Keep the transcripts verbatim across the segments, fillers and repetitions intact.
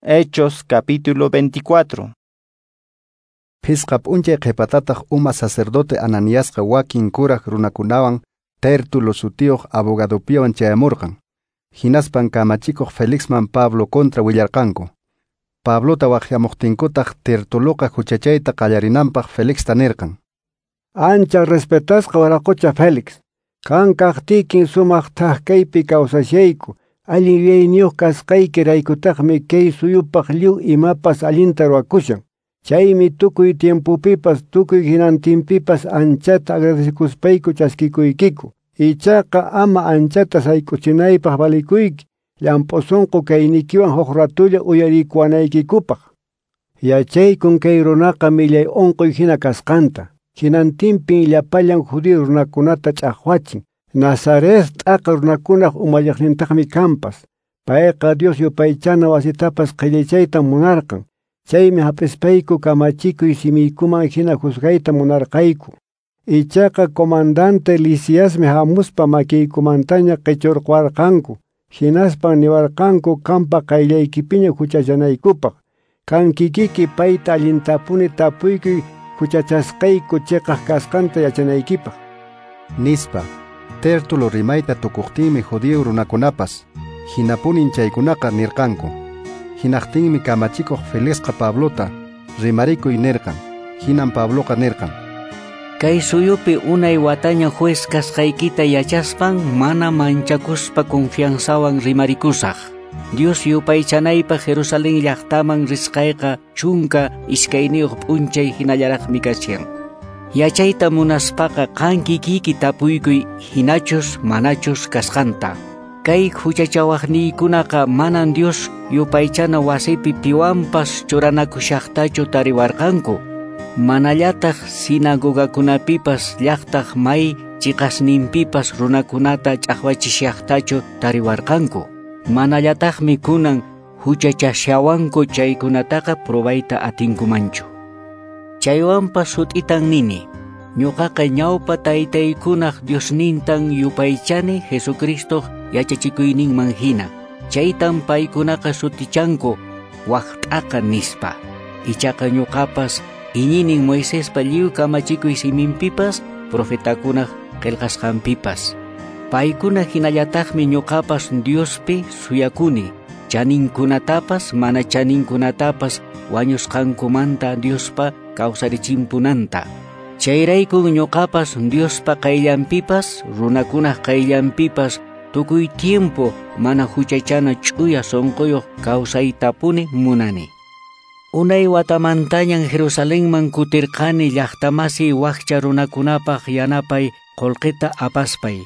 Hechos capítulo veinticuatro. Phisqa p'unchay qhipatataq uma sacerdote Ananiasqa wakin kuraq runakunawan Tértulo sutiyuq abogadopiwan chayamurqan. Hinaspan kamachikuq Felixman Pablo contra willarqanku. Pablota waqyamuqtinkutaq Tertuloqa huchachayta qallarinanpaq Felixta nirqan: Ancha respetasqa waraqucha Félix, qan kaqtiykin sumaq thak kaypi kawsashayku, allin yuyayniyuq kasqaykiraykutaqmi kay suyupaq lliw imapas allinta ruwakushan. Chaymi tukuy tiempopipas tukuy hinantinpipas anchata agradecekuspayku chaskikuykiku. Ichaqa ama anchata sayk'uchinaypaq valikuyki, llamp'u sunqu kaynikiwan huk ratulla uyarikuwanaykikupaq. Yachaykun kay runaqa millay unquy hina kasqanta. Hinantinpin llapallan judío runakunata ch'aqwachin. Nazaret t'aqa runakunaq umalliqnintaqmi kanpas. Payqa Dios yupaychana wasitapas qhillichayta munarqan. Chaymi hap'ispayku kamachikuy simiykuman hina juzgayta munarqayku. Ichaqa comandante Lisiasmi hamuspa makiykumantaña qichurqwarqanku. Hinaspan niwarqanku qampa qayllaykipiña huchachanaykupaq. Qan kikiki payta allintapuni tapuykuy huchachasqayku chiqaq kasqanta yachanaykipaq. Nispa. Tértulo rimayta tukuqtinmi judío runakunapas hinapunin chaykunaqa nirqanku. Hinaqtinmi kamachikuq Felixqa Pablota rimarikuy nirqan. Hinan Pabloqa nirqan: Kay suyupi unay wataña juez kasqaykita yachaspan mana manchakuspa confianzawan rimarikusaq. Dios yupaychanaypaq Jerusalén llaqtaman risqayqa chunka iskayniyuq p'unchay hinallaraqmi kashan. Yachayta munaspaqa qan kikiyki tapuykuy hinachus manachus kasqanta. Kay huchachawaqniykunaqa manan Dios yupaychana wasipi piwanpas churanakushaqtachu tariwarqanku. Manallataq sinagogakunapipas llaqtaq may chiqasninpipas runakunata ch'aqwachishaqtachu tariwarqanku. Manallataqmi kunan huchachashawanku chaykunataqa probayta atinkumanchu. Chaywanpas sut'itan nini, ñuqaqa ñawpa taytaykunaq Diosnintan yupaychani Jesucristoq yachachikuyninman hina. Chaytan paykunaqa sutichanku waqt'aqa nispa. Ichaqa ñuqapas iñinin Moisespa lliw kamachikuy siminpipas, profetakunaq qillqasqanpipas. Paykuna hinallataqmi ñuqapas Diospi suyakuni, chaninkunatapas mana chaninkunatapas wañusqankumanta Diospa kawsarichimpunanta. Chayraykun ñuqapas Diospa qayllanpipas, runakunaq qayllanpipas tukuy tiempo mana huchachana ch'uya sunquyuq kawsaytapuni munani. Unay watamantañan Jerusalenman kutirqani llaqtamasi wakcha runakunapaq yanapay qullqita apaspay,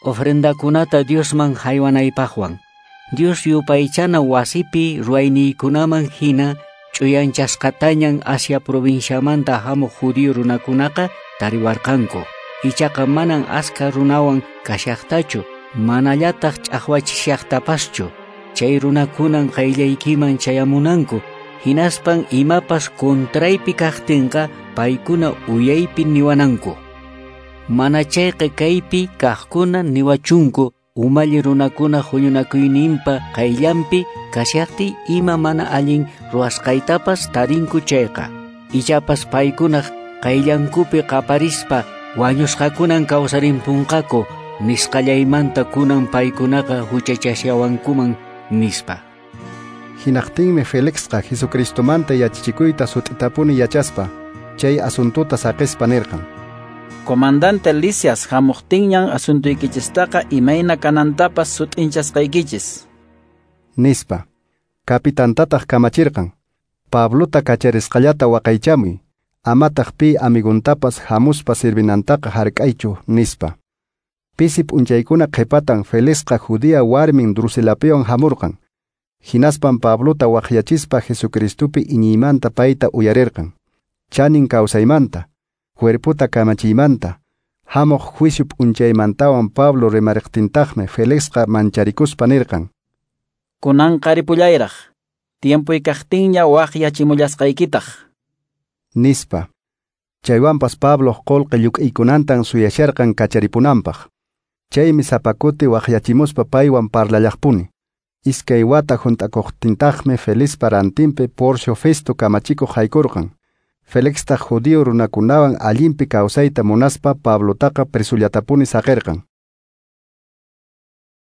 ofrendakunata Diosman haywanaypaqwan. Dios yupaychana wasipi ruwayniykunaman hina ch'uyanchasqatañan Asia provinciamanta hamuq judío runakunaqa tariwarqanku. Ichaqa manan askha runawan kashaqtachu, manallataq ch'aqwachishaqtapaschu. Chay runakunan qayllaykiman chayamunanku. Hinaspan imapas contraypi kaqtinqa paykuna uyaypi niwananku. Mana chayqa kaypi kaqkuna niwachunku umalli runakuna huñunakuyninpa qayllanpi kashaqtiy ima mana allin ruwasqaytapas tarinku chayqa. Ichapas paykunaq qayllankupi qaparispa wañusqakunan kawsarimpunqaku nisqallaymanta kunan paykunaqa huchachashawankuman nispa. Hinaqtinmi Felixqa Jesucristomanta yachachikuyta sut'itapuni yachaspa chay asuntuta saqispa nirqan: Comandante Lisias hamuqtinñan asuntuykichistaqa imayna kanantapas sut'inchasqaykichis, nispa. Kapitantataq kamachirqan: Pablota kacharisqallata waqaychamuy, amataq pi amiguntapas hamuspa sirvinantaqa hark'aychu, nispa. Pisi p'unchaykuna qhipatan Felixqa judía warmin Drusilapiwan hamurqan. Hinaspan Pablota waqyachispa Jesucristopi iñiymanta payta uyarirqan. Chanin kawsaymanta, cuerpota kamachiymanta, hamuq juicio p'unchaymantawan Pablo rimariqtintaqmi Felixqa mancharikuspa nirqan: Kunanqa ripullayraq, tiempuy kaqtinña waqyachimullasqaykitaq, nispa. Chaywanpas Pabloq qullqi lluk'iykunantan suyasharqan kacharipunanpaq. Chaymi sapa kuti waqyachimuspa paywan parlallaqpuni. Iskay wata hunt'akuqtintaqmi Felixpa rantinpi Porcio Festo kamachikuq haykurqan. Felixtaq judío runakunawan allinpi kawsayta munaspa Pablotaqa presullatapuni saqirqan.